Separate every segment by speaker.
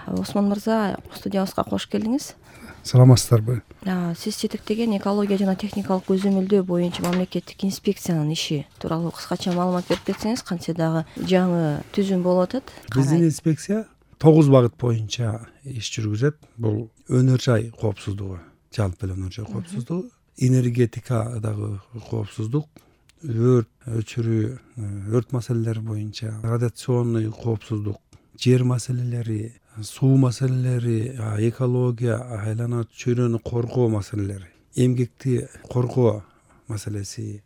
Speaker 1: Осмон мырза, студиябызга кош келдиңиз.
Speaker 2: Саламатсыздарбы?
Speaker 1: Сиз жетектеген экология жана техникалык көзөмөлдөө боюнча мамлекеттик инспекциянын иши тууралуу кыскача маалымат берип кетсеңиз, кантсе дагы жаңы түзүм болуп атат.
Speaker 2: Биздин инспекция 9 багыт боюнча иш жүргүзөт. Бул өнөр жай коопсуздугу, жалпы эле өнөр жай коопсуздугу, энергетикадагы коопсуздук, өрт өчүрүү, өрт маселелери боюнча, радиационный коопсуздук, жер маселелери, суу маселелери, экология, айлана чөйрөнү коргоо маселелери, эмгекти коргоо маселеси,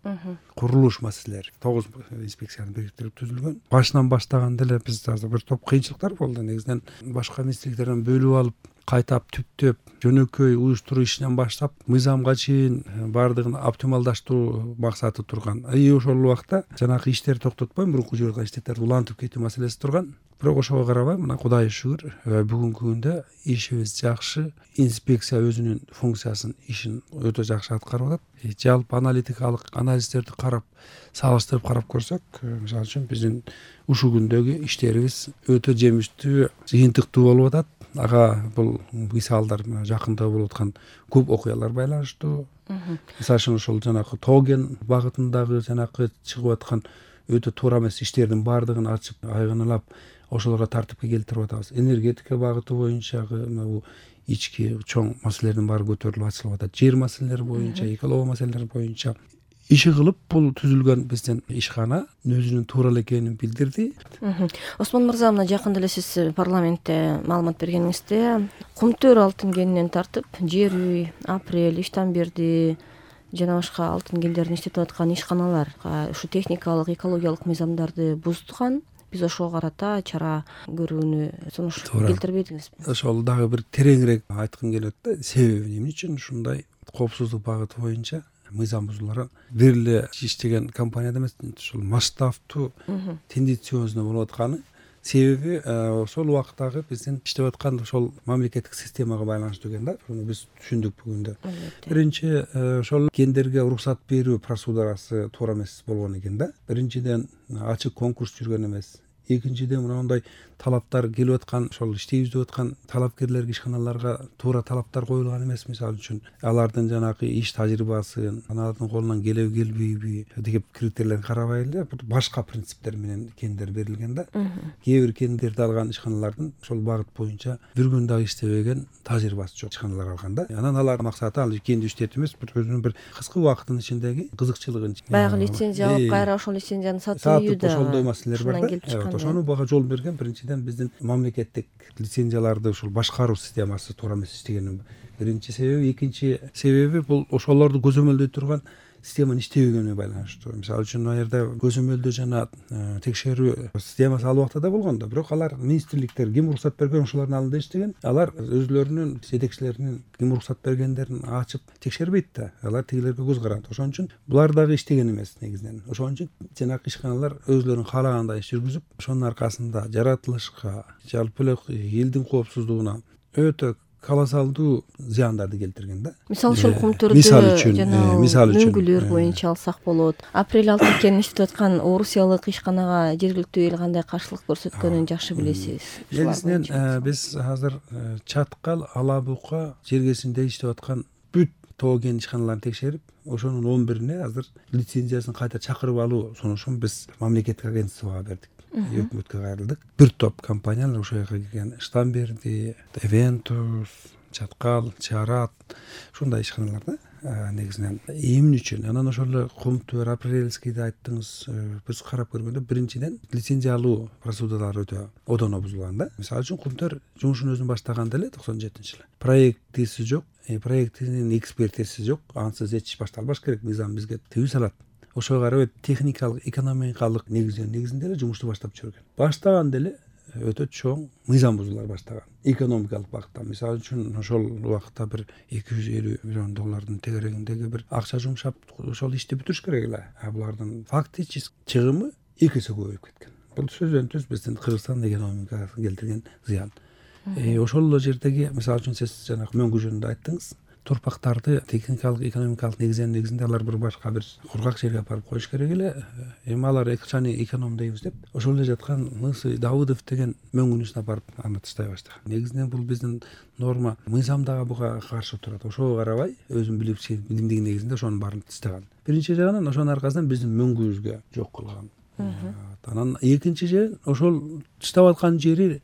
Speaker 2: курулуш маселелери 9 инспекциянын бириктирип түзүлгөн. Башынан баштаганда эле биз азыр бир топ кыйынчылыктар болду. Негизинен башка министрликтерден бөлүп алып, кайтап түптөп, жөнөкөй уюштуруу ишинен баштап, мыйзамга чейин баардыгын оптималдаштыруу максаты турган. Ошол убакта жанагы иштерди токтотпой, мурунку жүргөн иштеттерди улантып кетүү маселеси турган. Бирок ошого карабай, мына Кудайга шүгүр, бүгүнкү күндө ишибиз жакшы. Инспекция өзүнүн функциясын, ишин өтө жакшы аткарып атат. Жалпы аналитикалык анализдерди карап, салыштырып карап көрсөк, мисалы үчүн биздин ушул күндөгү иштерибиз өтө жемиштүү, жыйынтыктуу болуп атат. Ага бул мисалдар жакында болуп аткан көп окуялар байланыштуу. Мисалы үчүн ошол жанагы Тоген багытындагы жанагы чыгып аткан өтө туура эмес иштердин баардыгын ачып, айгынылап, ошолорго тартипке келтирип атабыз. Энергетика багыты боюнча бул ички чоң маселелердин баары көтөрүлүп ачылып атат. Жер маселелери боюнча, экология маселелери боюнча иши кылып, бул түзүлгөн биздин ишкана өзүнүн туура эле экенин билдирди.
Speaker 1: Осмон мырза, мына жакында эле сиз парламентте маалымат бергениңизде, Кумтөр алтын кенинен тартып, Жер үй, Апрель, Иштанберди жана башка алтын кендерин иштетип аткан ишканалар ушу техникалык, экологиялык мыйзамдарды бузган. Биз ошого карата чара көрүүнү сунуш келтирбедиңизби?
Speaker 2: Ошол дагы бир тереңирээк айткым келет да, себеби эмне үчүн ушундай коопсуздук багыты боюнча мыйзам бузулар. Бир эле иштеген компанияда эмес, ушул масштабтуу, тенденциозный болуп атканы. Себеби ошол убактагы биздин иштеп аткан ошол мамлекеттик системага байланыштуу экен да. Буну биз түшүндүк бүгүндө. Биринчи, ошол кендерге уруксат берүү процедурасы туура эмес болгон экен да. Биринчиден, ачык конкурс жүргөн эмес. Экинчиден, мындай талаптар келип аткан, ошол иштейбиз деп аткан талапкерлерге, ишканаларга туура талаптар коюлган эмес. Мисалы үчүн, алардын жанагы иш тажрыйбасын, алардын колунан келеби келбейби деген критерийлерин карабай эле башка принциптер менен кендер берилген да. Кээ бир кендерди алган ишканалардын ошол багыт боюнча бир күн дагы иштебеген тажрыйбасы жок ишканалар алган да. Анан алардын максаты ал кенди иштетип эмес, өзүнүн бир кыска убакыттын ичиндеги кызыкчылыгын,
Speaker 1: баягы лицензия алып, кайра ошол лицензияны сатуу да
Speaker 2: ошондой маселелер бар да. Ошону бага жол берген. Биринчиден, биздин мамлекеттик лицензияларды ушул башкаруу системасы туура эмес иштегени биринчи себеби. Экинчи себеби бул ошолорду көзөмөлдөй турган системанын иштебегенине байланыштуу. Мисалы үчүн, ал жерде көзөмөлдөө жана текшерүү системасы ал убакта да болгон да, бирок алар министрликтер ким уруксат берген ошолордун алдында иштеген. Алар өзлөрүнүн жетекчилеринин ким уруксат бергендерин ачып текшербейт да. Алар тигилерге көз каранат. Ошон үчүн булар дагы иштеген эмес негизинен. Ошон үчүн жанагы ишканалар өзлөрүнүн каалагандай иш жүргүзүп, ошонун аркасында жаратылышка, жалпы эле элдин коопсуздугуна өтө колоссалдуу зыяндарды келтирген да.
Speaker 1: Мисалы үчүн, Кумтөрдө жана мөңгүлөр боюнча алсак болот. Апрель алтын кенин иштеп аткан орусиялык ишканага жергиликтүү эл кандай каршылык көрсөткөнүн жакшы билесиз.
Speaker 2: Негизинен биз азыр Чаткал, Ала бука жергесинде иштеп аткан бүт тоо кен ишканаларын текшерип, ошонун 11-ине азыр лицензиясын кайта чакырып алуу сунушун биз мамлекеттик агентствага бердик. Өкмөткө кайрылдык. Бир топ компаниялар ошол жерге келген. Иштанберди, Эвентус, Чаткал, Чарат, ушундай ишканалар да. Негизинен эмне үчүн? Анан ошол эле Кумтөр, Апрельскийди айттыңыз. Биз карап көргөндө, биринчиден лицензия алуу процедуралары өтө одоно бузулган да. Мисалы үчүн, Кумтөр жумушун өзүн баштаганда эле 97-жылы проектиси жок, проектинин экспертиси жок. Ансыз эч иш башталбаш керек. Мыйзам бизге тыюу салат. Ошого карап техникалык, экономикалык негизинде эле жумушту баштап жүргөн. Баштаганда эле өтө чоң мыйзам бузуулар баштаган. Экономикалык багытта, мисалы үчүн, ошол убакта бир $250 миллион тегерегиндеги бир акча жумшап, ошол ишти бүтүрүш керек эле. Булардын фактически чыгымы 2 эсе көбөйүп кеткен. Бул сөздөн түз биздин Кыргызстан экономикасына келтирген зыян. Ошол эле жердеги, мисалы үчүн, сиз жанагы мөңгү жөнүндө айттыңыз. торпактарды техникалык экономикалык негизинде алар bir башка бир кургак жерге апарып коюш керек эле. Эми алар акчаны экономдойбуз деп ошол эле жаткан Мысы Давыдов деген мөңгүнүсүн апарып аны тыштай баштаган. Негизинен бул биздин норма мыйзам дагы буга каршы турат. Ошого карабай өзүнүн билимдиги негизинде ошонун баарын тыштаган. Биринчи жагынан ошонун аркасынан биздин мөңгүбүзгө жок кылган. Анан экинчи жери ошол тыштап аткан жери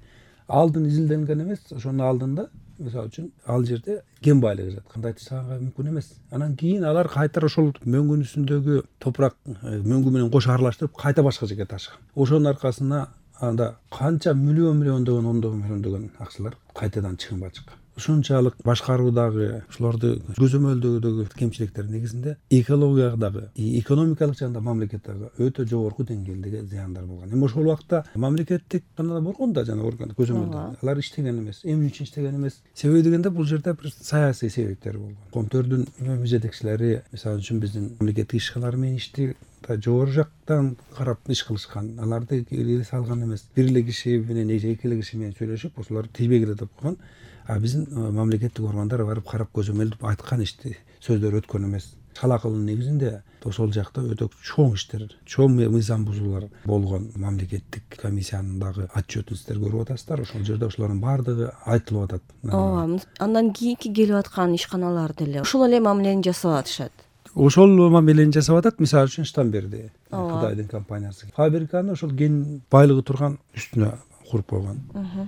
Speaker 2: алдын изилденген эмес. Ошонун алдында мисалы үчүн ал жерде кен байлыгы жатат. Кандай тыштаганга мүмкүн эмес. Анан кийин алар кайтара ошол мөңгүнүсүндөгү топурак мөңгү менен кошо аралаштырып кайта башка жерге ташыган. Ошонун аркасына анда канча миллиондогон ондогон миллиондогон акчалар кайтадан чыгымга чыккан. Ушунчалык башкаруудагы ушуларды көзөмөлдөөдөгү кемчиликтер негизинде экологиядагы, экономикалык жагында мамлекеттеги өтө жогорку деңгээлдеги зыяндар болгон. Эми ошол убакта мамлекеттик каналда болгон да жана орган көзөмөлдөө. Алар иштеген эмес. Эмне үчүн иштеген эмес? Себеби дегенде бул жерде бир саясий себептер болгон. Коомдордун жетекчилери мисалы үчүн биздин мамлекеттик ишканалар менен ишти жогору жактан карап иш кылышкан. Аларды келе салган эмес. Бир эле киши менен эки эле киши менен сүйлөшүп, ошолор тийбегиле деп койгон. А биздин мамлекеттик органдар барып карап көзөмөлдөп айткан ишти сөздөр өткөн эмес. Шалакылын негизинде ошол жакта өтө чоң иштер, чоң мыйзам бузуулар болгон. Мамлекеттик комиссиянын дагы отчетун сиздер көрүп атасыздар. Ошол жерде ошолордун баардыгы айтылып атат.
Speaker 1: Ооба, андан кийинки келип аткан ишканалар деле ошол эле мамилени жасап атышат.
Speaker 2: Ошол мамилени жасап атат. Мисалы үчүн Штамберди Кудайдын компаниясы фабриканы ошол кен байлыгы турган үстүнө куруп койгон.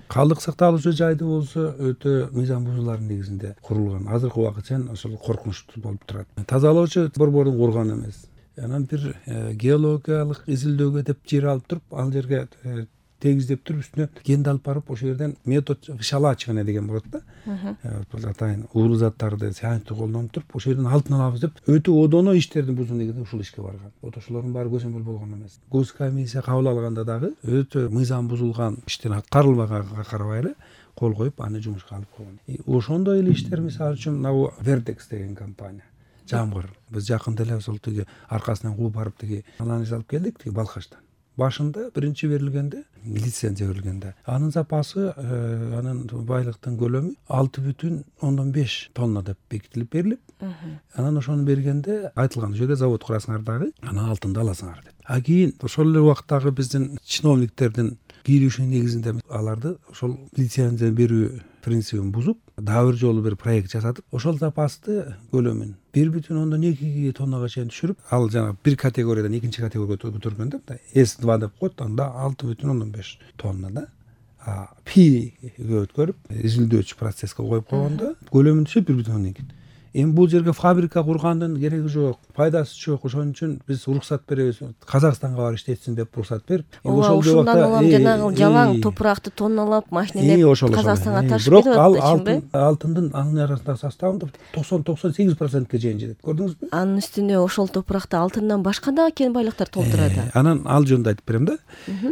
Speaker 2: Калдык сакталуучу жайды болсо өтө мыйзам бузуулардын негизинде курулган. Азыркы убакытчан ошол коркунучтуу болуп турат. Тазалоочу борбордун курган эмес. Анан бир геологиялык изилдөөгө деп жер алып туруп, ал жерге тегиздеп туруп үстүнө кенди алып барып ошол жерден метод вышалачивание деген болот да. Атайын уулуу заттарды сыянтты колдонуп туруп ошол жерден алтын алабыз деп өтө одоно иштердин бузуу негизинде ушул ишке барган. Вот ошолордун баары көзөмөл болгон эмес. Госкомиссия кабыл алганда дагы өтө мыйзам бузулган иштин аткарылбаганга карабай эле кол коюп аны жумушка алып койгон. Ошондой эле иштер мисалы үчүн мына Vertex деген компания. Жамгыр. Биз жакында эле ошол тиги аркасынан кууп барып тиги анализ алып келдик тиги Балкаштан. Башында биринчи берилгенде, лицензия берилгенде, анын запасы, анын байлыктын көлөмү 6,5 тонна деп бекитилип берилип, анан ошону бергенде айтылган, ошол жерде завод курасыңар дагы, анан алтынды аласыңар деп. А кийин ошол эле убактагы биздин чиновниктердин кийлешүү негизинде аларды ошол лицензия берүү принцибин бузуп, дагы бир жолу бир проект жасатып, ошол запасты көлөмүн 1,2 тоннага чейин түшүрүп, ал жана бир категориядан экинчи категорияга көтөргөндө S2 деп коет, анда 6,5 тонна да. Пиге өткөрүп, изилдөөчү процесске коюп койгондо көлөмү түшүп 1,2. Эми бул жерге фабрика кургандын кереги жок, пайдасы жок. Ошон үчүн биз уруксат беребиз. Казакстанга барып иштетсин деп уруксат берип,
Speaker 1: ошол ошондон улам жанагы жалаң топуракты тонналап, машинелеп Казакстанга ташып берип атат,
Speaker 2: бирок ал алтындын анын арасындагы составында 90-98%ке чейин жетет. Көрдүңүзбү?
Speaker 1: Анын үстүнө ошол топуракты алтындан башка дагы кен байлыктар толтурат.
Speaker 2: Анан ал жөнүндө айтып берем да.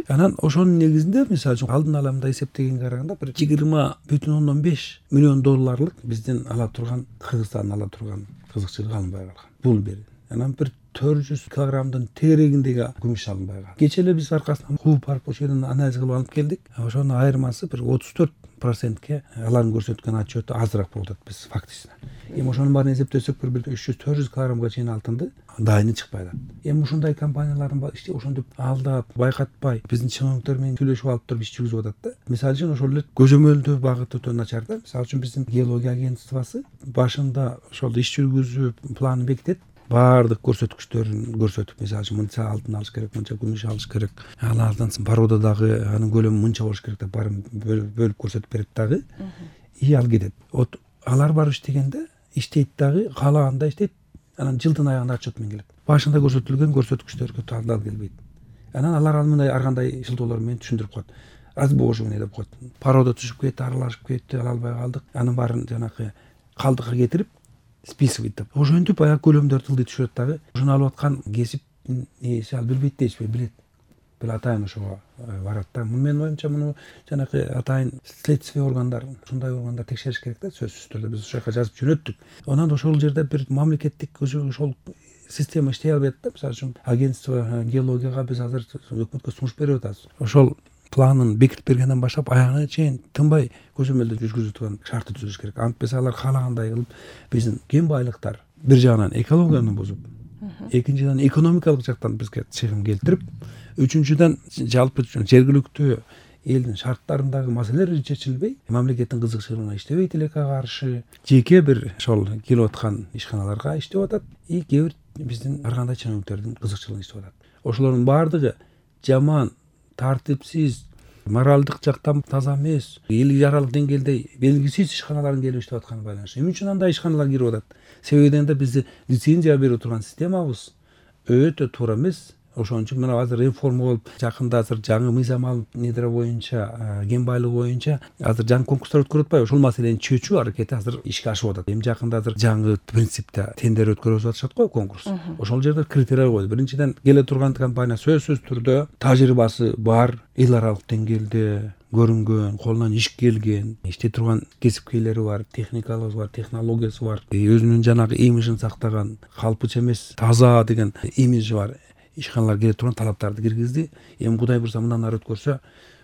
Speaker 2: Анан ошонун негизинде мисалы үчүн алдын ала мындай эсептегенге караганда бир 20,5 миллион долларлык биздин ала турган Кыргызстан ала турган кызыкчылык алынбай калган. Бул бир. Анан бир 400 килограммдын тегерегиндеги күмүш алынбай калган. Кече эле биз аркасынан кууп барып ошол жерден анализ кылып алып келдик. Ошонун айырмасы бир 34%ке алардын көрсөткөн отчету азыраак болуп атат биз фактично. Эми ошонун баарын эсептесек бир 300-400 килограммга чейин алтынды дайыны чыкпай атат. Эми ушундай компаниялардын ишти ошентип алдап, байкатпай, биздин чиновниктер менен сүйлөшүп алып туруп иш жүргүзүп атат да. Мисалы үчүн ошол эле көзөмөлдөө багыты өтө начар да. Мисалы үчүн биздин геология агентствосы башында ошол иш жүргүзүү планын бекитет. Баардык көрсөткүчтөрүн көрсөтүп, мисалы үчүн мынча алтын алыш керек, мынча күмүш алыш керек, алардан породадагы анын көлөмү мынча болуш керек деп баарын бөлүп көрсөтүп берет дагы. Ал кетет. Вот алар барып иштегенде иштейт дагы, каалаганда иштейт, анан жылдын аягында отчет менен келет. Башында көрсөтүлгөн көрсөткүчтөргө таандал келбейт. Анан алар мындай ар кандай шылтоолор менен түшүндүрүп коет. Разбоживание деп коет. Порода түшүп кетти, аралашып кетти, ала албай калдык. Анын баарын жанагы калдыкка кетирип списывать деп. Ошентип аяк көлөмдөрдү ылдый түшүрөт дагы. Ошону алып аткан кесиптин ээси ал билбейт дейсизби? Билет. Бул атайын ошого барат да. Менин оюмча муну жанагы атайын следствие органдар, ушундай органдар текшериш керек да, сөзсүз түрдө. Биз ошол жака жазып жөнөттүк. Анан ошол жерде бир мамлекеттик ошол система иштей албайт да. Мисалы үчүн агентство геологияга биз азыр өкмөткө сунуш берип атабыз. Ошол планын бекитип бергенден баштап аягына чейин тынбай көзөмөлдөө жүргүзүп турган шартты түзүш керек. Антпесе алар каалагандай кылып биздин кен байлыктар бир жагынан экологияны бузуп, экинчиден экономикалык жактан бизге чыгым келтирип, үчүнчүдөн жалпы жергиликтүү элдин шарттарындагы маселелер чечилбей, мамлекеттин кызыкчылыгына иштебейт элекке каршы жеке бир ошол келип аткан ишканаларга иштеп атат, и кээ бир биздин ар кандай чыгымдардын кызыкчылыгына иштеп атат. Ошолордун баардыгы жаман, тартипсиз, моралдык жактан таза эмес, эл жаралык деңгээлде белгисиз ишканалардын келип иштеп атканы байланыштуу. Эмне үчүн андай ишканалар кирип атат? Себеби дегенде бизди лицензия берип турган системабыз өтө туура эмес. Ошон үчүн мына азыр реформа болуп, жакында азыр жаңы мыйзам алып, недре боюнча, кен байлыгы боюнча азыр жаңы конкурстар өткөрүп атпайбы? Ошол маселени чечүү аракети азыр ишке ашып атат. Эми жакында азыр жаңы принципте тендер өткөрүп атышат го, конкурс. Ошол жерде критерий койду. Биринчиден, келе турган компания сөзсүз түрдө тажрыйбасы бар, эл аралык деңгээлде көрүнгөн, колунан иш келген, иштей турган кесипкейлери бар, техникалыгы бар, технологиясы бар, өзүнүн жанагы имиджин сактаган, калпыча эмес, таза деген имиджи бар ишканалар келе турган талаптарды киргизди. Эми Кудай буйрса мындан ары өткөрсө,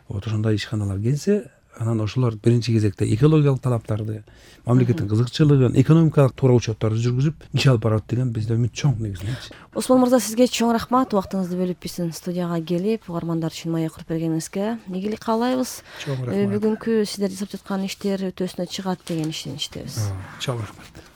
Speaker 2: вот ошондой ишканалар келсе, анан ошолор биринчи кезекте экологиялык талаптарды, мамлекеттин кызыкчылыгын, экономикалык туура учеттарды жүргүзүп иш алып барат деген бизде үмүт чоң негизинен.
Speaker 1: Осмон мырза, сизге чоң рахмат, убактыңызды бөлүп биздин студияга келип, угармандар үчүн маек куруп бергениңизге ийгилик каалайбыз.
Speaker 2: Чоң рахмат.
Speaker 1: Бүгүнкү сиздер жасап жаткан иштер өтөсүнө чыгат деген ишеничтебиз.
Speaker 2: Чоң рахмат.